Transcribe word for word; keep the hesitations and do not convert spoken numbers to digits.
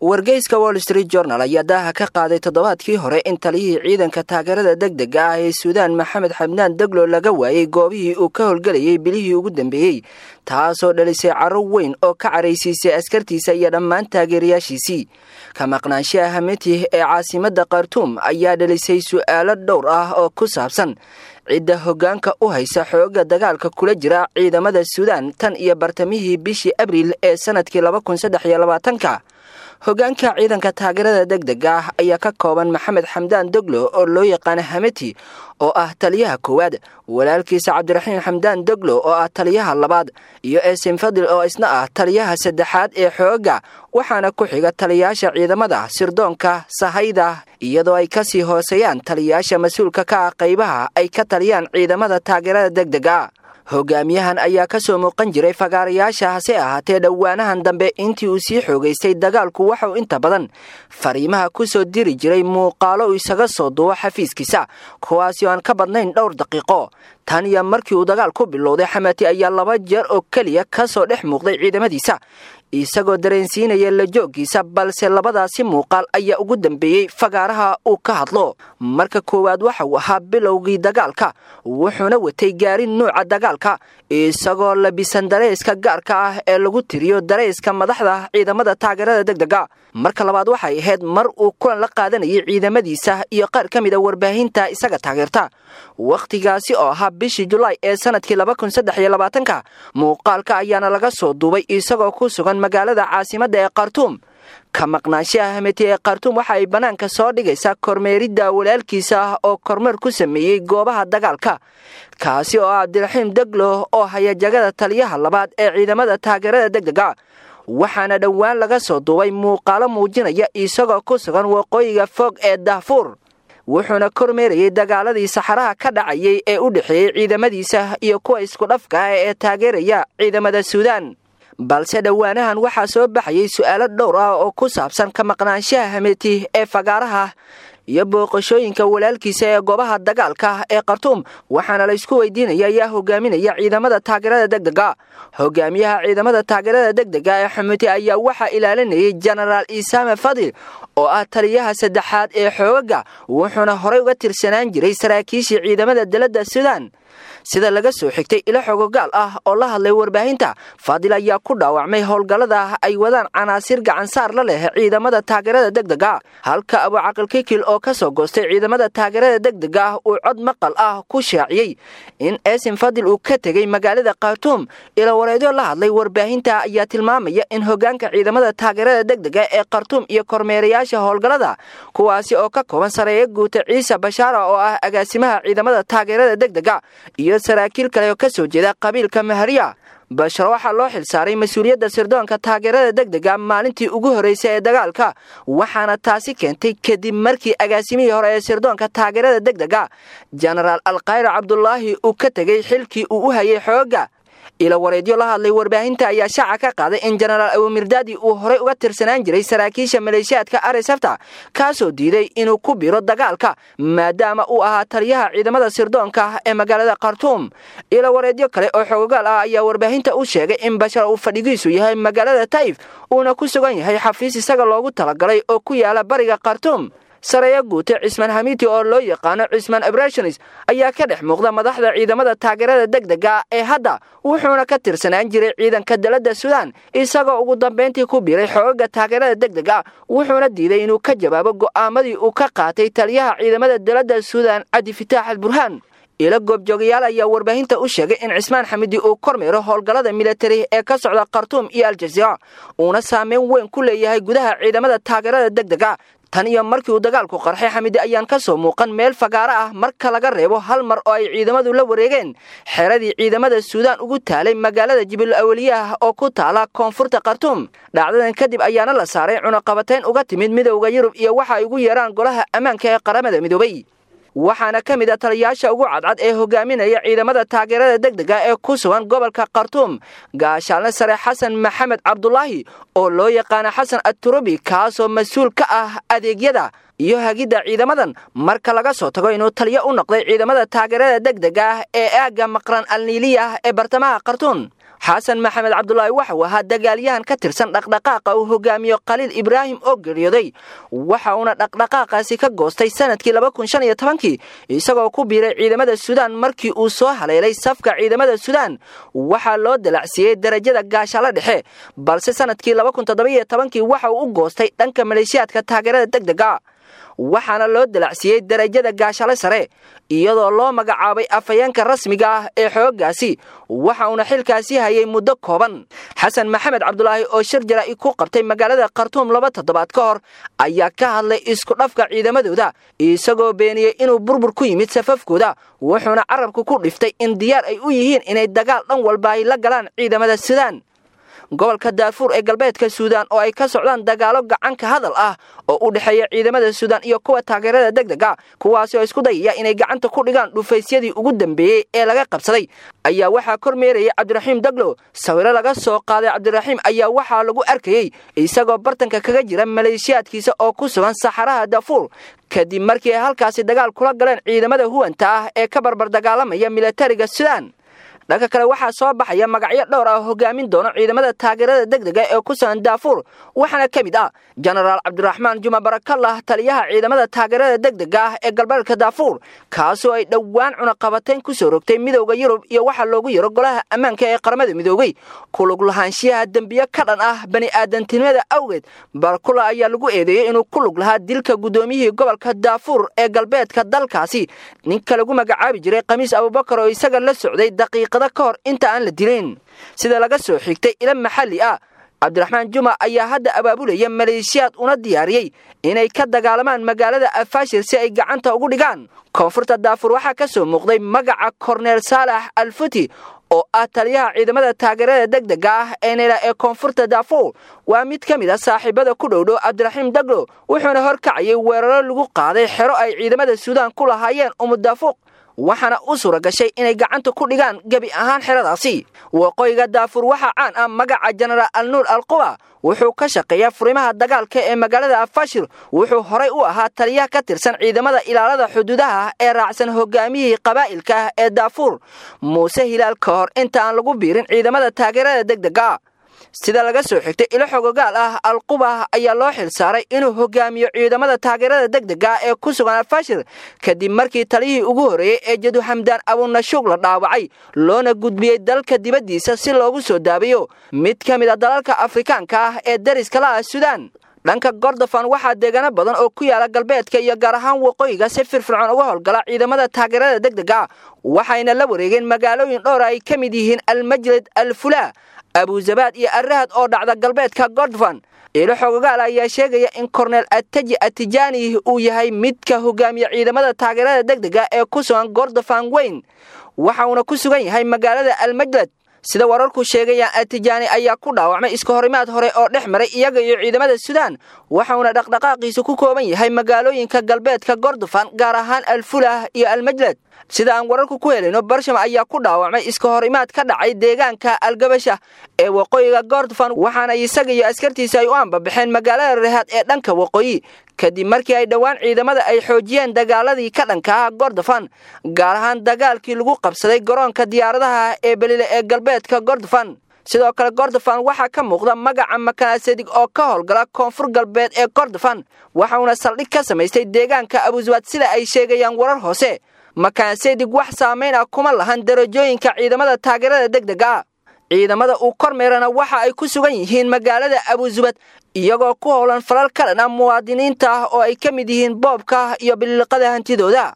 Wargeyska Wall Street Journal ayaa daaha ka qaaday toddobaadkii hore in taliyihii ciidanka taageerada degdega ah ee Suudaan, Maxamed Xamdaan Deglo, laga waayey goobihii uu ka howlgelayay bilihii ugu dambeeyey, taasoo dhalisay caro weyn oo ka caraysiisay askartiisa iyo dhammaan taageerayaashiisii. Ka maqnaanshaha Hameti ee caasimadda Khartuum ayaa dhalisay su'aalo dhowr ah oo ku saabsan cidda hoggaanka u haysa xoogga dagaalka kula jira ciidamada Suudaan tan iyo bartamihii bishii Abriil ee sanadkii laba kun saddex iyo labaatanka. Hoggaanka ciidanka taageerada degdega ah ayaa ka kooban Maxamed Xamdaan Doglo oo loo yaqaana Hameti oo ah taliyaha koowaad, walaalkiisa Cabdiraxiim Xamdaan Doglo oo ah taliyaha labaad, iyo Esim Fadil oo isna ah taliyaha saddexaad ee xoogga, waxaana ku xiga taliyayaasha ciidamada sirdoonka sahayda, iyadoo ay kasii hooseeyaan taliyayaasha mas-uulka ka ah qaybaha ay ka taliyaan ciidamada taageerada degdega. Hogaamiyahan ayaa ka soo muuqan jiray fagaarayaasha, hase ahaatee dhowaanahan dambe intii uu sii xoogaystay dagaalku waxauu inta badan fariimaha ku soo diri jiray muuqaalo uu isaga soo duubo xafiiskiisa, kuwaasi oo aan ka badnayn dhowr daqiiqo. Tan iyo markii uu dagaal ku bilowday, Xamati ayaa laba jeer oo keliya ka soo dhex muuqday ciidamadiisa isagoo dareensiinaya la jooggiisa, balse labadaasi muuqaal ayaa ugu dambeeyey fagaaraha uu ka hadlo. Marka koowaad waxa uu ahaa bilowgii dagaalka, wuxuuna watay gaari nuuca dagaalka isagoo labisan dareyska gaarka ah ee lagu tiriyo dareyska madaxda ciidamada taageerada degdega. Marka labaad waxay ahayd mar uu kulan la qaadanayay ciidamadiisa iyo qaar ka mid a warbaahinta isaga taageerta, wakhtigaasi oo ahaa bishii Julaay ee sanadkii laba kun saddex iyo labaatanka. Muuqaalka ayaana laga soo duubay isagoo ku sugan magaalada caasimadda ee Khartuum. Ka maqnaanshaha Hameti ee Khartuum waxa ay bannaanka soo dhigaysaa kormeeridda walaalkiisa ah oo kormeer ku sameeyey goobaha dagaalka, kaasi oo ah Cabdiraxiim Deglo oo haya jagada taliyaha labaad ee ciidamada taageerada degdega, waxaana dhowaan laga soo duubay muuqaalo muujinaya isagoo ku sugan waqooyiga fog ee Daafuur, wuxuuna kormeerayay dagaaladii saxaraha ka dhacayay ee u dhexeeyey ciidamadiisa iyo kuwa isku dhafka ah ee taageeraya ciidamada Suudaan. Balse dhowaanahan waxaa soo baxayay su'aalo dhowr ah oo ku saabsan ka maqnaanshaha Hameti ee fagaaraha iyo booqashooyinka walaalkiisa ee goobaha dagaalka ee Khartuum, waxaana la isku weydiinaya ayaa hogaaminaya ciidamada taageerada degdega. Hogaamiyaha ciidamada taageerada degdega ee Xameti ayaa waxaa ilaalinayay Jenaraal Isaame Fadil oo ah taliyaha saddexaad ee xoogaga, wuxuuna horey uga tirsanaan jiray saraakiishii ciidamada dalada Suudaan. Sida laga soo xigtay ilo xogogaal ah oo la hadlay warbaahinta, Fadil ayaa ku dhaawacmay howlgallada ay wadaan canaasir gacansaar la leh ciidamada taageerada degdega, halka Abucaqil Kikil oo ka soo goostay ciidamada taageerada degdega ah uu cod maqal ah ku shaaciyey in Esim Fadil uu ka tegey magaalada Khartuum. Ilo wareedyo la hadlay warbaahinta ayaa tilmaamaya in hoggaanka ciidamada taageerada degdega ee Khartuum iyo kormeerayaasha howlgallada, kuwaasi oo ka kooban sareeyo guuta Ciise Bashaara oo ah agaasimaha ciidamada taageerada degdega iyo saraakiil kale oo ka soo jeeda qabiilka Mahariya. Bashar waxaa loo xilsaaray mas-uuliyadda sirdoonka taageerada degdega maalintii ugu horreysay ee dagaalka, waxaana taasi keentay kadib markii agaasimihii hore ee sirdoonka taageerada degdega Jenaraal Alkhayr Cabdulaahi uu ka tegey xilkii uu u hayay xoogga. Ilo wareedyo la hadlay warbaahinta ayaa shaaca ka qaaday in Jenaraal Abumirdaadi uu horey uga tirsanaan jiray saraakiisha maleeshiyaadka Aresafta, kaasoo diiday inuu ku biro dagaalka maadaama uu ahaa taliyaha ciidamada sirdoonka ee magaalada Khartuum. Ilo wareedyo kale oo xoogaal ah ayaa warbaahinta u sheegay in Bashar uu fadhigiisu yahay magaalada Taif, uuna ku sugan yahay xafiis isaga loogu talagalay oo ku yaala bariga Khartuum. Sareeyo guute Cismaan Hamiti oo loo yaqaano Cismaan Abrashonis ayaa ka dhex muuqda madaxda ciidamada taageerada degdega ee hadda, wuxuuna ka tirsanaan jiray ciidanka dalada Suudaan isagoo ugu dambeyntii ku biiray xoogaga taageerada degdega, wuxuuna diiday inuu ka jawaabo go'aamadii uu ka qaatay taliyaha ciidamada dalada Suudaan Cabdifitaax al Burhaan. Ilo goobjoogayaal ayaa warbaahinta u sheegay in Cismaan Xamidi uu kormeero howlgallada militari ee ka socda Khartuum iyo Aljaziira, uuna saameyn weyn ku leeyahay gudaha ciidamada taageerada degdega. Tan iyo markii uu dagaalku qarxay, Xamidi ayaan ka soo muuqan meel fagaaro ah marka laga reebo hal mar oo ay ciidamadu la wareegeen xeradii ciidamada Suudaan ugu taalay magaalada Jibil Awliyaah oo ku taala koonfurta Khartuum. Dhacdadan kadib ayaana la saaray cunaqabatayn uga timid Midowda Yurub iyo waxa ay ugu yeeraan golaha ammaanka ee Qaramada Midoobay, waxaana ka mid ah taliyayaasha ugu cadcad ee hogaaminaya ciidamada taageerada degdega ee ku sugan gobolka Khartuum gaashaanle sare Xasan Maxamed Cabdulaahi oo loo yaqaano Xasan Aturubi, kaasoo mas-uul ka ah adeegyada iyo hagidda ciidamadan marka laga soo tago inuu taliyo u noqday ciidamada taageerada degdega ah ee aagga Maqran Alniiliyah ee bartamaha Khartuum. Xasan Maxamed Cabdulaahi waxa uu ahaa dagaalyahan ka tirsan dhaqdhaqaaqa uu hogaamiyo Khaliil Ibraahim oo geeriyooday, waxa uuna dhaqdhaqaaqaasi ka goostay sanadkii laba kun shan iyo tobankii isagoo ku biiray ciidamada Suudaan. Markii uu soo haleelay safka ciidamada Suudaan waxaa loo dalacsiiyey darajada gaashaale dhexe, balse sanadkii laba kun toddoba iyo tobankii waxa uu u goostay dhanka maleeshiyaadka taageerada degdega, waxaana loo dalacsiiyey darajada gaashaale sare iyadoo loo magacaabay afhayeenka rasmiga ah ee xooggaasi, waxa uuna xilkaasi hayay muddo kooban. Xasan Maxamed Cabdulaahi oo shir jaraa'id ku qabtay magaalada Khartuum laba toddobaad ka hor ayaa ka hadlay isku dhafka ciidamadooda, isagoo beeniyey inuu burbur ku yimid safafkooda, wuxuuna carabka ku dhiftay in diyaar ay u yihiin inay dagaal dhan walba ay la galaan ciidamada Suudaan. Gobolka Daarfuur ee galbeedka Suudaan oo ay ka socdaan dagaalo gacanka hadal ah oo u dhexeeya ciidamada Suudaan iyo kuwa taageerada degdega, kuwaasi oo isku dayaya inay gacanta ku dhigaan dhufaysyadii ugu dambeeyey ee laga qabsaday, ayaa waxaa kormeerayay Cabdiraxiim Daglo. Sawiro laga soo qaaday Cabdiraxiim ayaa waxaa lagu arkayey isagoo bartanka kaga jira maleeshiyaadkiisa oo ku sugan saxaraha Daarfuur, kadib markii ay halkaasi dagaal kula galeen ciidamada huwanta ah ee ka barbar dagaalamaya militariga Suudaan. Dhanka kale waxaa soo baxaya magacyo dhowr ah hogaamin doono ciidamada taageerada degdega ee ku sugan Daarfuur, waxaana ka mid ah Jenaraal Cabdiraxmaan Juma Barakallah, taliyaha ciidamada taageerada degdega ah ee galbeedka Daarfuur, kaasoo ay dhowaan cunaqabateyn ku soo rogtay Midowga Yurub iyo waxa loogu yaro golaha ammaanka ee qaramada midoobay ku lug lahaanshiyaha dembiyo ka dhan ah bani'aadantinimada awgeed. Barakula ayaa lagu eedeeyey inuu ku lug lahaa dilka guddoomiyihii gobolka Daarfuur ee galbeedka dalkaasi, ninka lagu magacaabi jiray Khamiis Abubakar oo isaga la socday daqiiqada ka hor inta aan la dilin. Sida laga soo xigtay ila maxalli ah, Cabdiraxmaan Juma ayaa hadda abaabulaya maleeshiyaad una diyaariyey inay ka dagaalamaan magaalada Afaashir si ay gacanta ugu dhigaan. Koonfurta Daarfuur waxaa ka soo muuqday magaca Korneel Saalax Alfuti oo ah taliyaha ciidamada taageerada degdega ah ee Nela ee koonfurta Daarfuur. Waa mid ka mid ah saaxiibada ku dhow dhow Cabdiraxiim Daglo, wuxuuna horkacayay weeraro lagu qaaday xero ay ciidamada Suudaan ku lahaayeen Umudaafuq, waxaana u suura gashay inay gacanta ku dhigaan gebi ahaan xeradaasi. Waqooyiga Daarfuur waxaa caan ah magaca Jenaraal Alnuur Alquba, wuxuu ka shaqeeyaa furimaha dagaalka ee magaalada Afaashir. Wuxuu horay u ahaa taliyaha ka tirsan ciidamada ilaalada xuduudaha ee raacsan hogaamiyihii qabaa'ilka ah ee Daarfuur Muuse Hilaal ka hor inta aan lagu biirin ciidamada taageerada degdega. Sida laga soo xigtay ilo xogogaal ah, Alquba ayaa loo xil saaray inuu hogaamiyo ciidamada taageerada degdega ee ku sugan Alfashir, kadib markii taliyihii ugu horreeyey ee Jadu Xamdaan Abunashuug la dhaawacay loona gudbiyey dalka dibaddiisa si loogu soo daabiyo mid ka mid ah dalalka Afrikaanka ah ee dariska la ah Suudaan. Dhanka Gordofan waxaa deegaano badan oo ku yaala galbeedka iyo gaar ahaan waqooyiga si firfircoon uga howlgala ciidamada taageerada degdega, waxayna la wareegeen magaalooyin dhowr ay ka mid yihiin Almajlid, Alfulaa, Abuzabaad iyo Arrahad oo dhacda galbeedka Gordofan. Ilo xogogaal ayaa sheegaya in Korneel Ataji Atijaani uu yahay midka hogaamiya ciidamada taageerada degdega ee ku sugan Gordofan weyn, waxa uuna ku sugan yahay magaalada Almajlad. Sida wararku sheegayaan, Atijaani ayaa ku dhaawacmay iska horimaad hore oo dhex maray iyaga iyo ciidamada Suudaan, waxauna dhaqdhaqaaqiisu ku kooban yahay magaalooyinka galbeedka Gordofan, gaar ahaan Alfulah iyo Almajlad. Sida aan wararku ku helayno, Barsham ayaa ku dhaawacmay iska horimaad ka dhacay deegaanka Algabasha ee waqooyiga Gordofan, waxaana isaga iyo askartiisa ay u ambabaxeen magaalada Rehaad ee dhanka waqooyi, kadib markii ay dhowaan ciidamada ay xoojiyeen dagaaladii ka dhanka ah Gordofan, gaar ahaan dagaalkii lagu qabsaday garoonka diyaaradaha ee Belile ee galbeedka Gordofan. Sidoo kale Gordofan waxaa ka muuqda magaca Makanasadig oo ka howlgala koonfur galbeed ee Gordofan, waxauna saldhig ka samaystay deegaanka Abuzawaad sida ay sheegayaan warar hoose. Makanasadig wax saameyn ah kuma lahan darajooyinka ciidamada taageerada degdega ah. Ciidamada uu kormeerana waxa ay ku sugan yihiin magaalada Abuzubad, iyagoo ku howlan falal ka dhan ah muwaadiniinta ah oo ay ka mid yihiin boobka iyo bililiqada hantidooda.